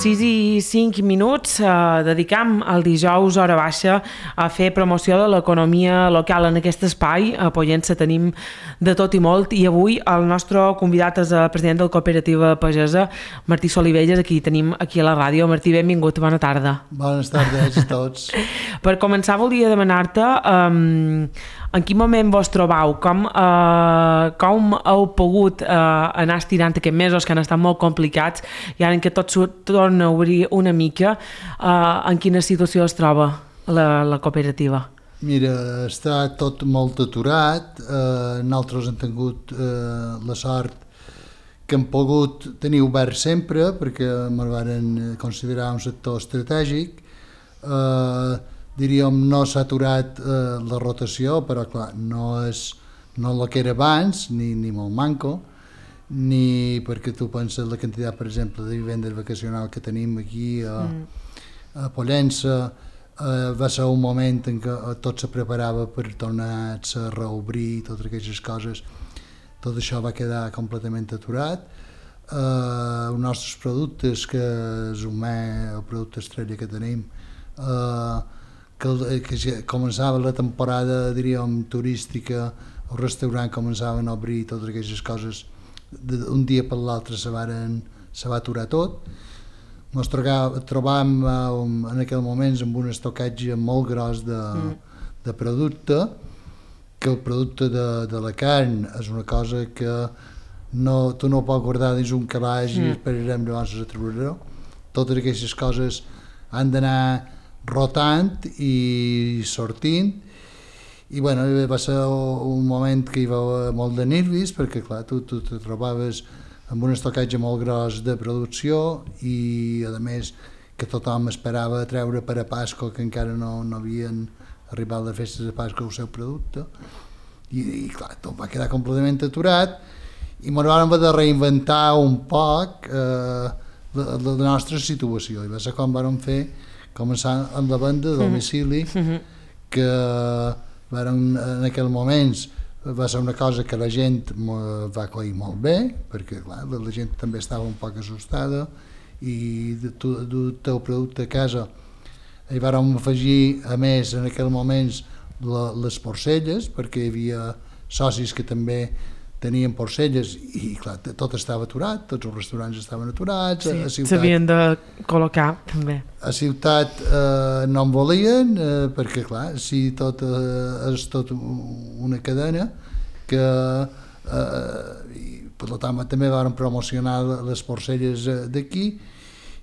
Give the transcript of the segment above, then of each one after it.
6:05, dedicam el dijous hora baixa a fer promoció de l'economia local en aquest espai. A Pollença tenim de tot i molt, i avui el nostre convidat és el president de la cooperativa pagesa, Martí Solivelles, aquí tenim aquí a la ràdio. Martí, benvingut, bona tarda. Bones tardes a tots. Per començar volia demanar-te en quin moment vos trobau, com heu pogut anar estirant aquests mesos que han estat molt complicats, i ara que tot torna a obrir una mica, en quina situació es troba la cooperativa? Mira, està tot molt aturat. Nosaltres hem tingut la sort que hem pogut tenir obert sempre, perquè ens varen considerar un sector estratègic. Diríem, no s'ha aturat la rotació, però clar, no és el que era abans, ni molt manco, ni perquè tu penses la quantitat, per exemple, de vivendes vacacionals que tenim aquí a Pollença. Va ser un moment en què tot se preparava per tornar-se a reobrir, totes aquestes coses. Tot això va quedar completament aturat. Els nostres productes, que és el producte estrella que tenim, que ja començava la temporada, diríem, turística, el restaurant començaven a obrir, totes aquestes coses, d'un dia per l'altre se va aturar tot. Ens trobàvem en aquell moment amb un estocatge molt gros de producte, que el producte de la carn és una cosa que tu no pots guardar dins un calaix i esperarem llavors a treure-ho. Totes aquestes coses han d'anar rotant i sortint, i bueno, va ser un moment que hi va haver molt de nervis, perquè clar, tu te trobaves amb un estocatge molt gros de producció i a més que tothom esperava treure per a Pasco, que encara no havien arribat les festes de Pasco el seu producte, i clar, tot va quedar completament aturat, i ens vam haver de reinventar un poc la nostra situació, i va ser com vam començar amb la venda de domicili, que en aquells moments va ser una cosa que la gent va acollir molt bé, perquè clar, la gent també estava un poc assustada, i del teu producte a casa hi vàrem afegir, a més, en aquells moments les porcelles, perquè hi havia socis que també tenien porcelles, i clar, tot estava aturat, tots els restaurants estaven aturats. Sí, s'havien de col·locar també. A ciutat no en volien, perquè clar, si tot és tot una cadena, que per tant també van promocionar les porcelles d'aquí,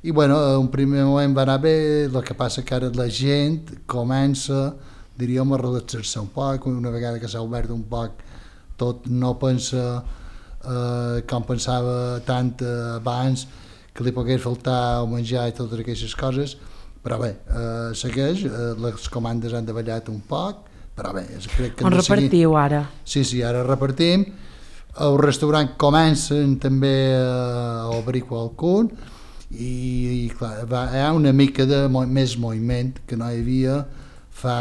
i bueno, un primer moment va anar bé. El que passa que ara la gent comença, diríem, a relaxar-se un poc, una vegada que s'ha obert un poc tot, no pensa com pensava tant abans, que li pogués faltar el menjar i totes aquestes coses, però bé, segueix, les comandes han davallat un poc, però bé, crec que... On repartiu ara? Sí, ara repartim. El restaurant comencen també a obrir qualcun, i clar, hi ha una mica de més moviment que no hi havia fa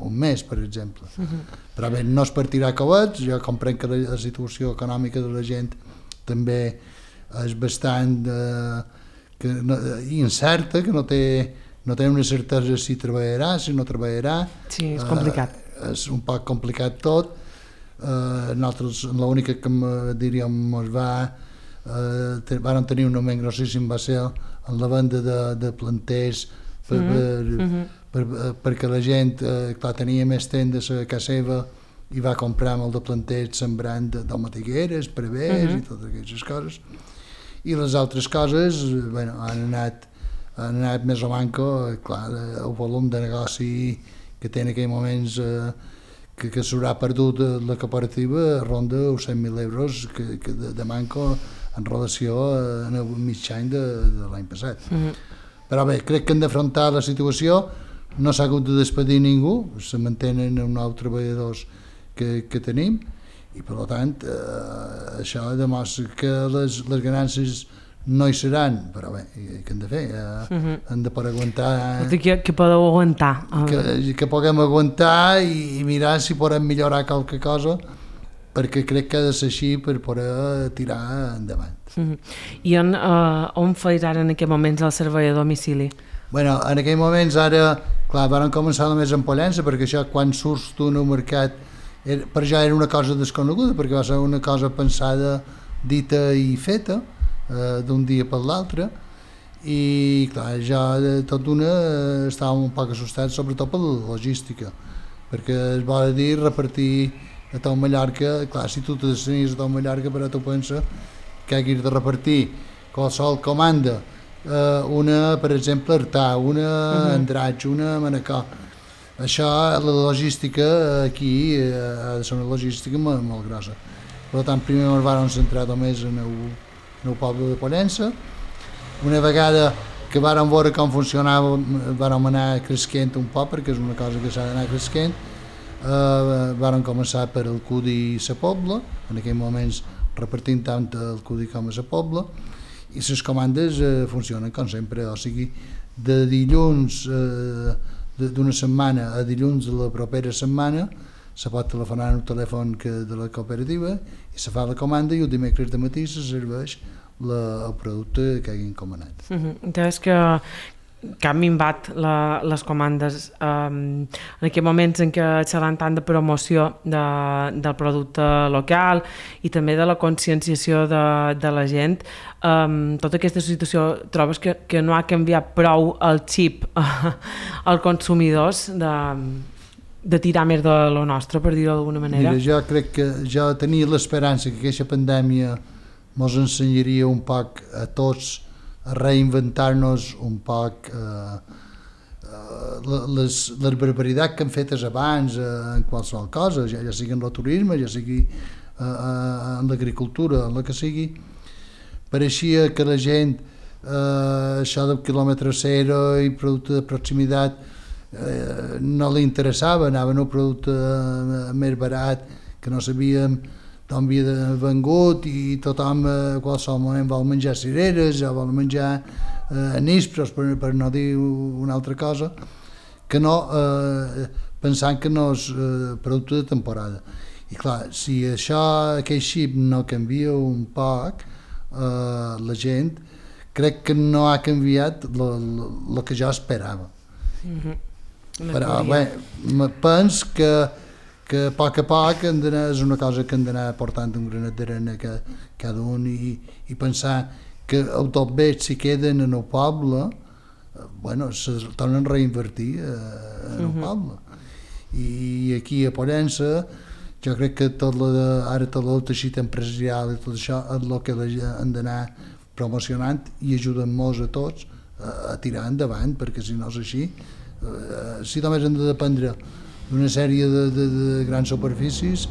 un mes, per exemple. Però bé, no es partirà covets. Jo comprenc que la situació econòmica de la gent també és bastant incerta, que no té una certesa si treballarà, si no treballarà. Sí, és complicat. És un poc complicat tot. Nosaltres, l'única que diríem vam tenir un moment grossíssim va ser en la venda de planters, perquè la gent clar, tenia més tendes a casa seva i va comprar molt de planters sembrant tomatigueres, prevers i totes aquestes coses, i les altres coses bueno, han anat més o manco. Clar, el volum de negoci que té en aquells moments que s'haurà perdut la cooperativa ronda els 100.000 euros de manco en relació al mig any de l'any passat. Però bé, crec que hem d'afrontar la situació. No s'ha hagut de despedir ningú, se mantenen uns 9 treballadors que tenim, i per tant això demostra que les ganàncies no hi seran, però bé, què hem de fer? Hem de poder aguantar... Que podeu aguantar. Que puguem aguantar i mirar si podem millorar qualque cosa, perquè crec que ha de ser així per poder tirar endavant. I on feis ara en aquests moments el servei a domicili? Bueno, en aquells moments ara, clar, van començar només en Pollença, perquè això quan surts tu en el mercat, per ja era una cosa desconeguda, perquè va ser una cosa pensada, dita i feta, d'un dia per l'altre, i clar, ja tot d'una estàvem un poc assustats, sobretot per la logística, perquè es vol dir repartir a tot Mallorca, clar, si tu te destinies a tot Mallorca, però tu penses que haguis de repartir qualsevol comanda, una, per exemple, Artà, una Andratx, una Manacor. Això, la logística aquí ha de ser una logística molt grossa. Per tant, primer ens vam centrar només en el poble de Pollença. Una vegada que vàrem veure com funcionava, vàrem anar cresquent un poc, perquè és una cosa que s'ha d'anar cresquent. Vàrem començar per el Cudi i la Pobla, en aquells moments repartint tant el Cudi com a la Pobla, i les comandes funcionen com sempre, o sigui, de dilluns d'una setmana a dilluns de la propera setmana se pot telefonar en el telèfon de la cooperativa i se fa la comanda i el dimecres de matí se serveix el producte que hagin comanat. Entonces que han minvat les comandes en aquests moments en què seran tant de promoció del producte local i també de la conscienciació de la gent. Tota aquesta situació trobes que no ha canviat prou el xip als consumidors de tirar més de lo nostre, per dir-ho d'alguna manera? Mira, jo crec que jo tenia l'esperança que aquesta pandèmia ens ensenyaria un poc a tots a reinventar-nos un poc les barbaritats que han fetes abans en qualsevol cosa, ja sigui en el turisme, ja sigui en l'agricultura, en la que sigui. Pareixia que la gent, això del quilòmetre zero i producte de proximitat, no li interessava, anaven a un producte més barat que no sabíem d'on havia vengut i tothom a qualsevol moment vol menjar cireres o vol menjar nísperos, per no dir una altra cosa, que no, pensant que no és producte de temporada. I clar, si aquell xip no canvia un poc, la gent crec que no ha canviat el que jo esperava. Però bé, penso que a poc és una cosa que hem d'anar portant un granet d'arena cada un i pensar que el tot bé si queden en el poble, bueno, se tornen a reinvertir en el poble. I aquí a Pollença jo crec que ara tot el teixit empresarial i tot això és el que hem d'anar promocionant i ajudant-nos a tots a tirar endavant, perquè si no és així, si només hem de dependre d'una sèrie de grans superfícies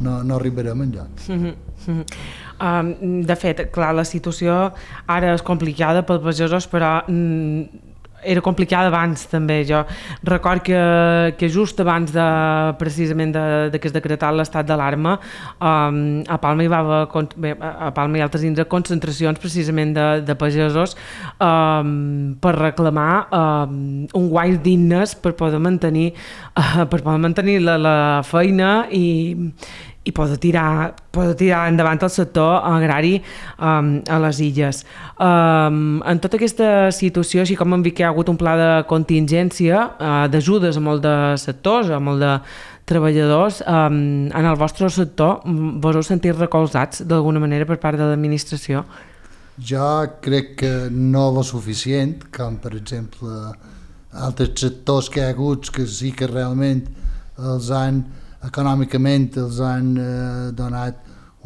no arribarem enlloc. De fet, clar, la situació ara és complicada pels pagesos, però era complicada abans també. Jo record que just abans precisament de que es decretat l'estat d'alarma, a Palma hi va haver, a Palma i altres indrets, concentracions precisament de pagesos per reclamar un guany dignes per poder mantenir la feina i poder tirar endavant el sector agrari a les illes. En tota aquesta situació, així com hem vist que hi ha hagut un pla de contingència, d'ajudes a molts de sectors, a molts de treballadors, en el vostre sector vos heu sentit recolzats d'alguna manera per part de l'administració? Jo crec que no lo suficient, com per exemple altres sectors que hi ha hagut que sí que realment econòmicament els han donat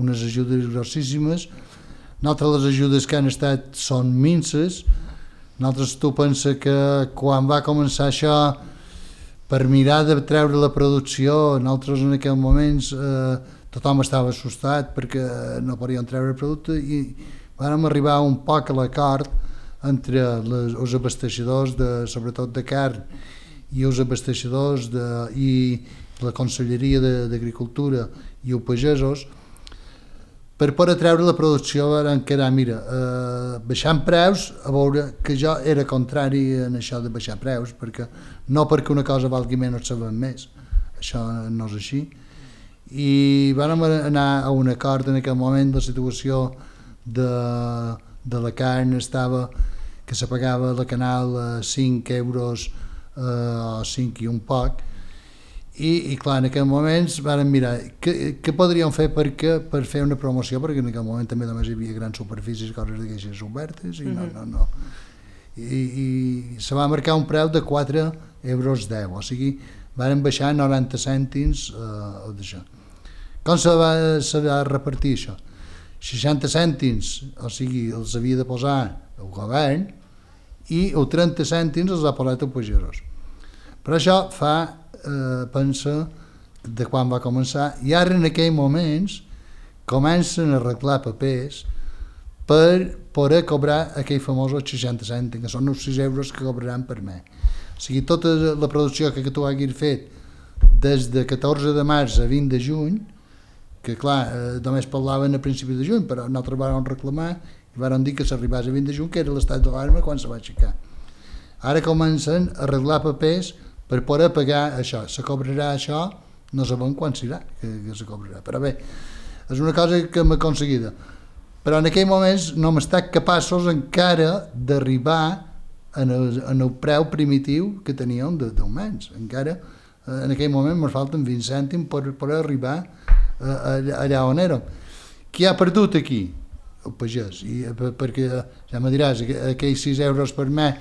unes ajudes grossíssimes. Nosaltres les ajudes que han estat són minces. Nosaltres tu penses que quan va començar això, per mirar de treure la producció, nosaltres en aquells moments tothom estava assustat perquè no podíem treure el producte i vam arribar un poc a l'acord entre els abasteixadors, sobretot de carn, i els abasteixadors i la Conselleria d'Agricultura i els pagesos, per poder treure la producció van quedar, mira, baixant preus, a veure que jo era contrari en això de baixar preus, no perquè una cosa valgui menys se ven més, això no és així, i vam anar a un acord. En aquell moment la situació de la carn estava que se pagava la canal a 5 euros o 5 i un poc, i clar, en aquell moments vam mirar què podríem fer per fer una promoció, perquè en aquell moment també només hi havia grans superfícies, coses d'aquestes obertes, i no. I se va marcar un preu de 4 euros 10, o sigui, van baixar 90 cèntims d'això. Com se va repartir això? 60 cèntims, o sigui, els havia de posar el govern, i els 30 cèntims els ha posat el pagesos. Però això pensa de quan va començar, i ara en aquells moments comencen a arreglar papers per poder cobrar aquells famosos 60 cèntims, que són els 6 euros que cobraran per mes. O sigui, tota la producció que tu haguis fet des de 14 de març a 20 de juny, que clar, només parlaven a principi de juny, però nosaltres vam reclamar i vam dir que s'arribés a 20 de juny, que era l'estat d'alarma quan se va aixecar. Ara comencen a arreglar papers per poder pagar això. Se cobrarà això, no sabem quan serà que se cobrarà. Però bé, és una cosa que hem aconseguida. Però en aquell moments no hem estat capaços encara d'arribar en el preu primitiu que teníem d'augments. Encara en aquell moment ens falten 20 cèntims per arribar allà on érem. Qui ha perdut aquí? El pagès. Perquè, ja me diràs, aquells 6 euros per mes,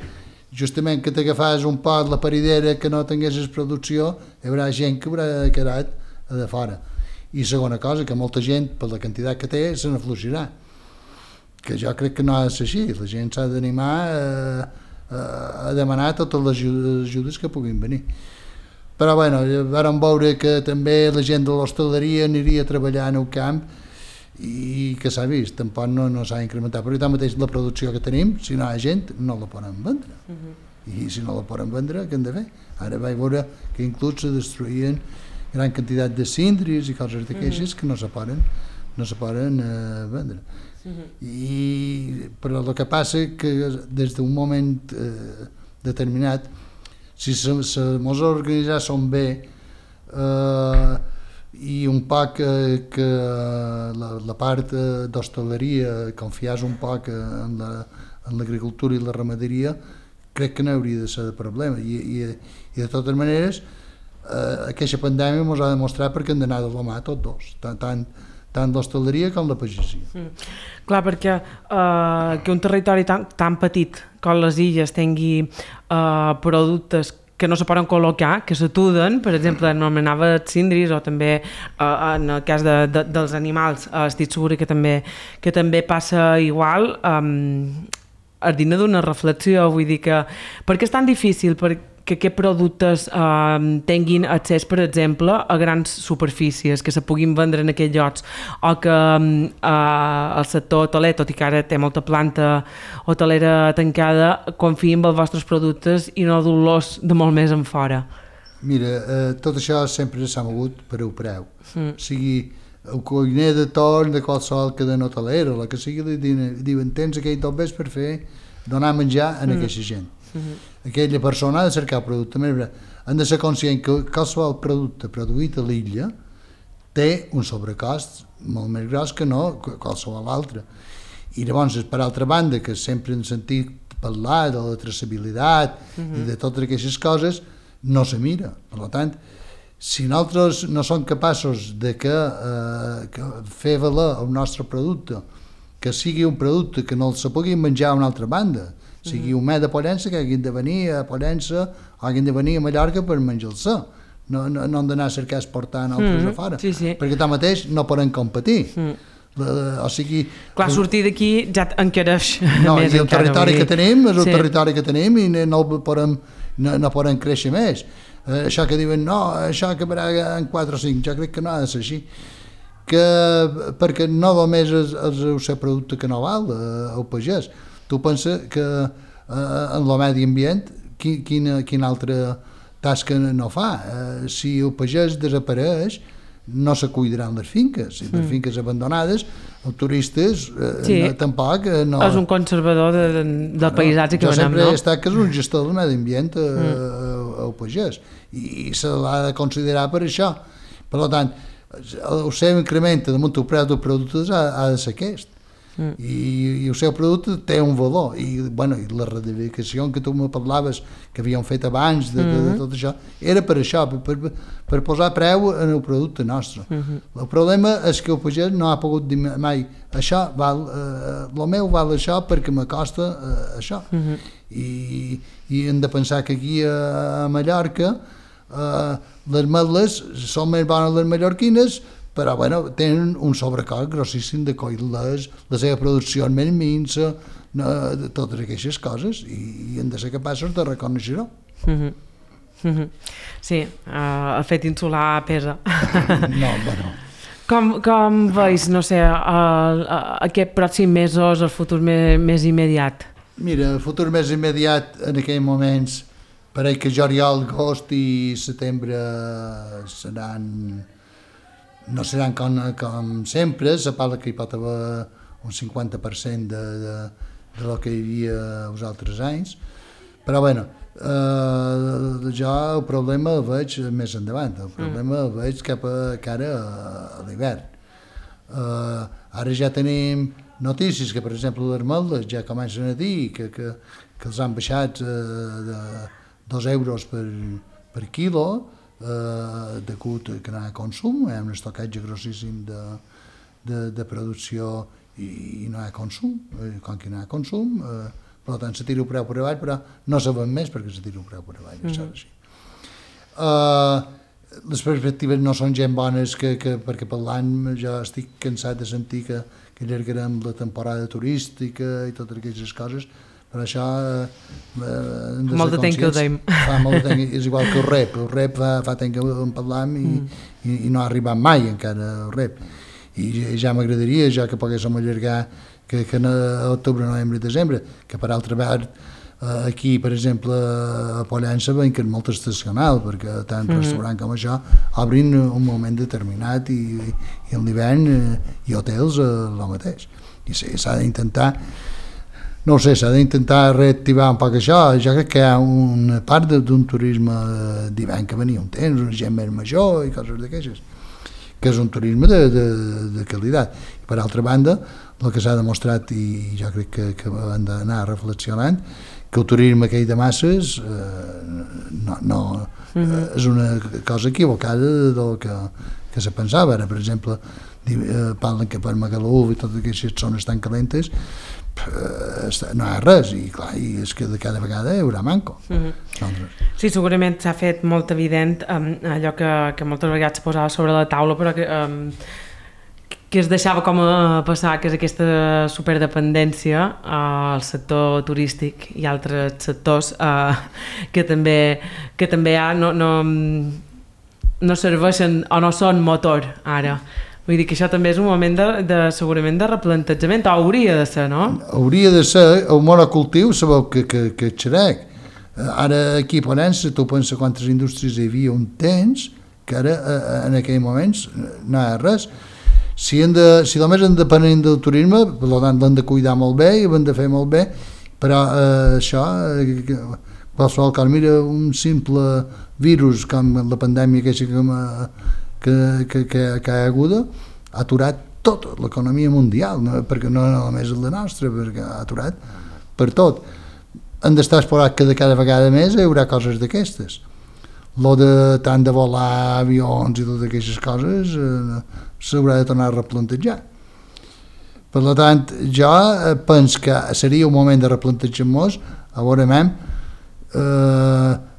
justament que t'agafàs un pot la paridera que no tinguessis producció, hi haurà gent que haurà quedat a de fora. I segona cosa, que molta gent, per la quantitat que té, se n'afluixirà. Que jo crec que no ha de ser així. La gent s'ha d'animar a demanar totes les ajudes que puguin venir. Però bueno, vam veure que també la gent de l'hostaleria aniria a treballar en el camp, i que s'ha vist, tampoc no s'ha incrementat, perquè tanmateix la producció que tenim, si no hi ha gent, no la poden vendre. I si no la poden vendre, què hem de fer? Ara vaig veure que inclús se destruïen gran quantitat de síndries i coses d'aquestes que no se poden vendre. Però el que passa és que des d'un moment determinat, si mos organitzàssim bé i un poc que la part d'hostaleria confiés un poc en l'agricultura i la ramaderia, crec que no hauria de ser de problema. I de totes maneres, aquesta pandèmia ens ha demostrat perquè hem d'anar de la mà tots dos, tant l'hostaleria com la pagesia. Clar, perquè que un territori tan petit com les illes tingui productes que no se poden col·locar, que s'atuden, per exemple, anomenava síndries, o també en el cas dels animals, estic segura que també passa igual. És digne d'una reflexió, vull dir que per què és tan difícil que aquests productes tinguin accés, per exemple, a grans superfícies, que se puguin vendre en aquells llocs, o que el sector hoteler, tot i que ara té molta planta hotelera tancada, confiïn en els vostres productes i no dur-los de molt més en fora? Mira, tot això sempre s'ha mogut per el preu. O sigui, el cuiner de torn de qualsevol cadena hotelera, la que sigui, diuen, tens aquell tot vés per donar menjar a aquesta gent. Aquella persona ha de cercar el producte. Han de ser conscient que qualsevol producte produït a l'illa té un sobrecost molt més gros que no qualsevol altre. I llavors, per altra banda, que sempre hem sentit parlar de la traçabilitat i de totes aquestes coses, no se mira. Per tant, si nosaltres no som capaços de que fer valer el nostre producte, que sigui un producte que no se pugui menjar a una altra banda, sigui un mes de Pollença que hagin de venir a Pollença o hagin de venir a Mallorca per menjar-se. No han d'anar a cercar exportar altres a fora, perquè tanmateix no poden competir. O sigui... Clar, sortir d'aquí ja encareix més encara. I el territori que tenim és el territori que tenim i no poden créixer més. Això que diuen, no, això acabarà en 4 o 5, jo crec que no ha de ser així. Perquè no només és el seu producte que no val el pagès. Tu pensa que en el medi ambient quina altra tasca no fa? Si el pagès desapareix, no se cuidaran les finques. Si les finques abandonades, els turistes tampoc... És un conservador del paisatge que venem, no? Jo sempre he estat que és un gestor del medi ambient el pagès, i se l'ha de considerar per això. Per tant, el seu increment damunt el preu dels productes ha de ser aquest. I el seu producte té un valor i la radicació que tu me parlaves que havíem fet abans de tot això era per això, per posar preu en el producte nostre. El problema és que el pagès no ha pogut dir mai això val, el meu val això perquè me costa això. I hem de pensar que aquí a Mallorca les ametlles són més bones les mallorquines, però tenen un sobrecost grossíssim de coll-les, la seva producció és més minsa, totes aquestes coses, i hem de ser capaços de reconèixer-ho. Sí, el fet insular pesa. No, Com veus, no sé, aquest pròxim mesos, el futur més immediat? Mira, el futur més immediat en aquells moments, pareix que juliol, agost i setembre no seran com sempre, se parla que hi pot haver un 50% de lo que hi havia els altres anys, però jo el problema el veig més endavant, el problema el veig cap a cara a l'hivern. Ara ja tenim notícies que, per exemple, les ametlles ja comencen a dir que els han baixat de 2 euros per quilo, degut que no hi ha consum, hi ha un estocatge grossíssim de producció i no hi ha consum, com que no hi ha consum, per tant se tira el preu per avall, però no se ven més perquè se tira el preu per avall, això és així. Les perspectives no són gens bones perquè per l'any jo estic cansat de sentir que allargarem la temporada turística i totes aquestes coses, per això molt de temps que ho deim. Fa molt de temps, és igual que el rep fa temps que en parlam i no ha arribat mai encara el rep, i ja m'agradaria ja que poguéssim allargar que a octubre, novembre i desembre, que per altra part aquí, per exemple, a Pollença veiem que és molt estacional, perquè tant restaurant com això obrin un moment determinat i en l'hivern i hotels el mateix, i s'ha d'intentar s'ha d'intentar reactivar un poc això. Jo crec que hi ha una part d'un turisme d'hivern que venia un temps, una gent més major i coses d'aquestes, que és un turisme de qualitat. I per altra banda, el que s'ha demostrat, i jo crec que hem d'anar reflexionant, que el turisme aquell de masses és una cosa equivocada del que se pensava. Ara, per exemple, parlen que per Magaluf i totes aquestes zones tan calentes no hi ha res, i clar, és que de cada vegada hi haurà manco. Sí, segurament s'ha fet molt evident allò que moltes vegades posava sobre la taula, però que es deixava com a passar, que és aquesta superdependència al sector turístic i altres sectors que també no serveixen o no són motor ara. Vull dir que això també és un moment segurament de replantejament, o hauria de ser, no? Hauria de ser. El monocultiu sabeu que és xerec. Ara aquí a Pollença tu pensa quantes indústries hi havia un temps que ara en aquells moments no hi ha res. Si només en depenent del turisme, per tant l'han de cuidar molt bé i l'han de fer molt bé, però això, qualsevol cosa, mira un simple virus com la pandèmia que ha hagut, ha aturat tota l'economia mundial, perquè no només la nostra, perquè ha aturat per tot. Hem d'estar esperant que de cada vegada més hi haurà coses d'aquestes. Tant de volar avions i totes aquestes coses s'haurà de tornar a replantejar. Per tant, jo penso que seria un moment de replantejar-nos, a veure,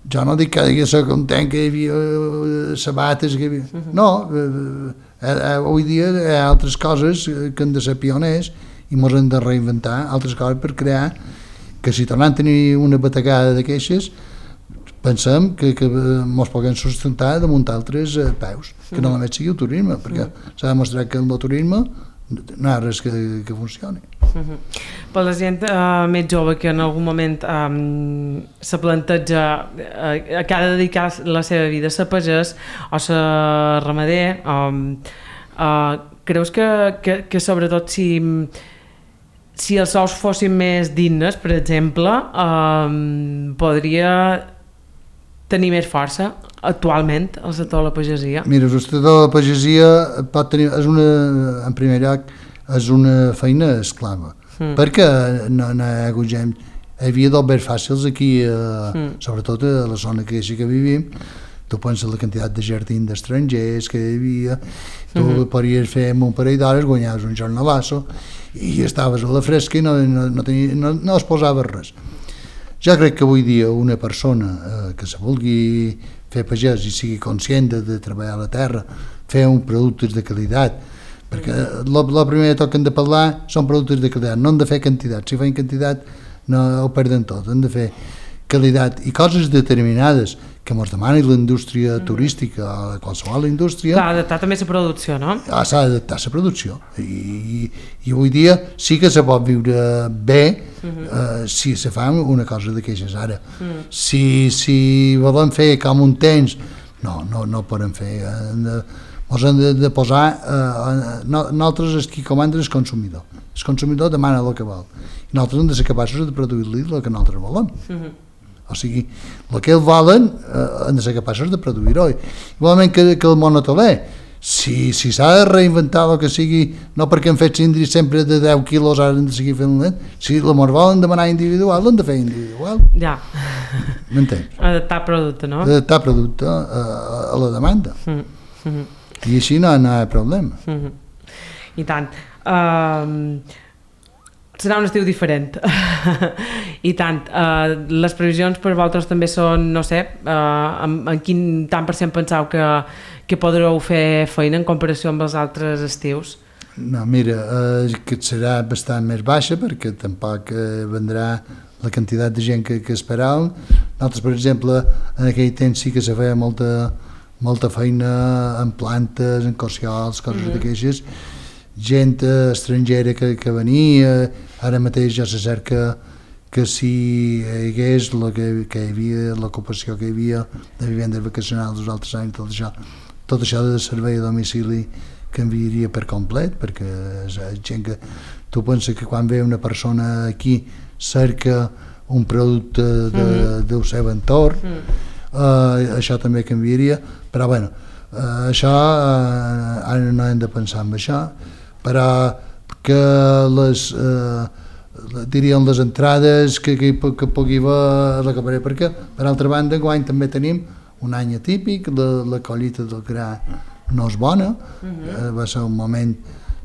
jo no dic que havia de ser content que hi havia sabates, no, avui dia hi ha altres coses que han de ser pioners i ens hem de reinventar, altres coses per crear que si tornem a tenir una bategada d'aquestes pensem que ens puguem sustentar damunt altres peus, que no només sigui el turisme, perquè s'ha demostrat que en el turisme no hi ha res que funcioni. Per la gent més jove que en algun moment se planteja que ha de dedicar la seva vida a ser pagès o ser ramader, creus que sobretot si els sous fossin més dignes, per exemple, podria tenir més força actualment el sector de la pagesia? Mira, el sector de la pagesia pot tenir, en primer lloc, és una feina esclava, perquè no hi ha hagut gent, hi havia d'obres fàcils aquí, sobretot a la zona que vivim. Tu penses la quantitat de jardins d'estrangers que hi havia, tu podries fer un parell d'hores, guanyaves un jornalasso i estaves a la fresca i no es posava res. Jo crec que avui dia una persona que se vulgui fer pagès i sigui conscient de treballar a la terra, fer un productes de qualitat, perquè el primer que toquen de parlar són productes de qualitat, no han de fer quantitat, si feien quantitat no ho perden tot, han de fer qualitat i coses determinades que ens demani la indústria turística o qualsevol indústria. S'ha d'adaptar també la producció, no? S'ha d'adaptar la producció i avui dia sí que se pot viure bé si se fa una cosa d'aquestes ara. Si volen fer com un temps, no poden fer. Ens hem de posar, nosaltres és qui comanda el consumidor. El consumidor demana el que vol i nosaltres hem de ser capaços de produir-li el que nosaltres volem. O sigui, el que ells volen han de ser capaços de produir-ho. Igualment que el món hoteler, si s'ha de reinventar el que sigui, no perquè han fet cindris sempre de 10 quilos, ara han de seguir fent lent, si la volen demanar individual, l'han de fer individual. Ja. M'entens? Adaptar producte, no? Adaptar producte a la demanda. I així no hi ha problema. I tant. Serà un estiu diferent. I tant. Les previsions per vosaltres també són, no sé, en quin tant per cent penseu que podreu fer feina en comparació amb els altres estius? No, mira, que serà bastant més baixa perquè tampoc vendrà la quantitat de gent que esperàvem. Nosaltres, per exemple, en aquell temps sí que se feia molta feina en plantes, en cociols, coses d'aquestes, gent estrangera que venia. Ara mateix ja se cerca que si hi hagués que hi havia, l'ocupació que hi havia de vivendes vacacionals dels altres anys, tot això de servei a domicili canviaria per complet, perquè és gent que tu penses que quan ve una persona aquí cerca un producte del seu entorn, això també canviaria, però bueno, això ara no hem de pensar en això, però que dirien les entrades que pugui haver la caparet, perquè per altra banda enguany també tenim un any atípic, la collita del gra no és bona, va ser un moment,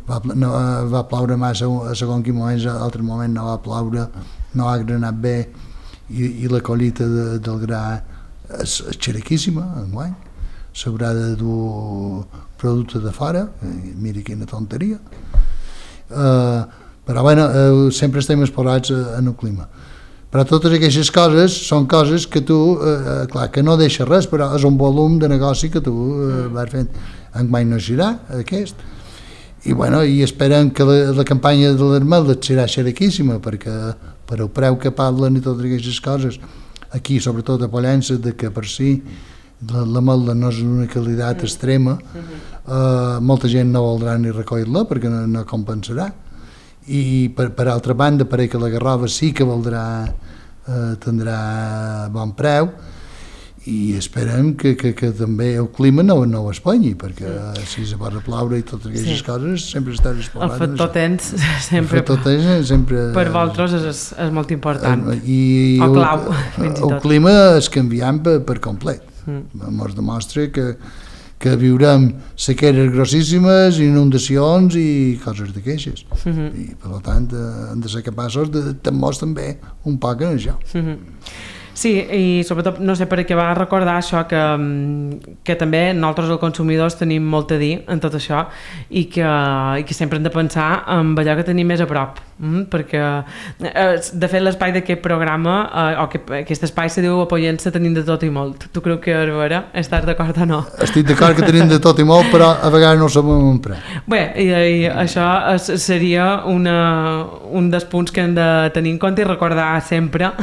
va ploure massa a segons quin moment, a altre moment no va ploure, no ha granat bé i la collita del gra és xerequíssima enguany, s'haurà de dur producte de fora, mira quina tonteria. Però bueno, sempre estem exposats en el clima. Però totes aquestes coses són coses que tu, clar, que no deixa res, però és un volum de negoci que tu vas fent. Enguany no serà aquest. I bueno, i esperem que la campanya de l'Armel serà xerequíssima, perquè per el preu que parlen i totes aquestes coses, aquí, sobretot a Pollença, de que per si l'ametla no és una qualitat extrema, molta gent no voldrà ni recollir-la perquè no compensarà. I per altra banda, pareix que la garrova sí que tindrà bon preu i esperem que també el clima no ho espanyi, perquè si se pot ploure i totes aquestes coses sempre estàs exposat. El factor temps sempre per vosaltres és molt important, o clau, fins i tot. El clima és canviant per complet. Ens demostra que viurem sequeres grossíssimes, inundacions i coses d'aquestes. I per tant hem de ser capaços de tenir-nos també un poc en això. Sí, i sobretot, no sé per què va recordar això, que també nosaltres els consumidors tenim molt a dir en tot això i que sempre hem de pensar en allò que tenim més a prop, perquè de fet l'espai d'aquest programa o que aquest espai se diu Pollença tenim de tot i molt. Tu creus que és vera? Estàs d'acord o no? Estic d'acord que tenim de tot i molt, però a vegades no sabem emprar. Bé, i això seria un dels punts que hem de tenir en compte i recordar sempre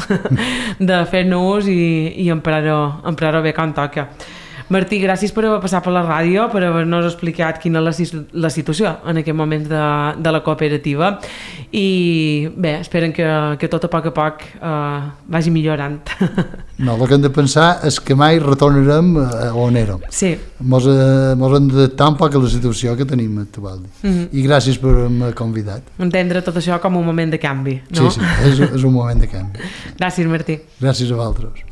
de fer-nos i emprar-ho bé quan toca. Martí, gràcies per haver passat per la ràdio, per haver-nos explicat quina és la situació en aquest moment de la cooperativa i bé, esperen que tot a poc vagi millorant. No, el que hem de pensar és que mai retornarem a on érem. Sí. Mos hem d'adaptar un poc a la situació que tenim actual. I gràcies per haver-me convidat. Entendre tot això com un moment de canvi, no? Sí, és un moment de canvi. Gràcies, Martí. Gràcies a vosaltres.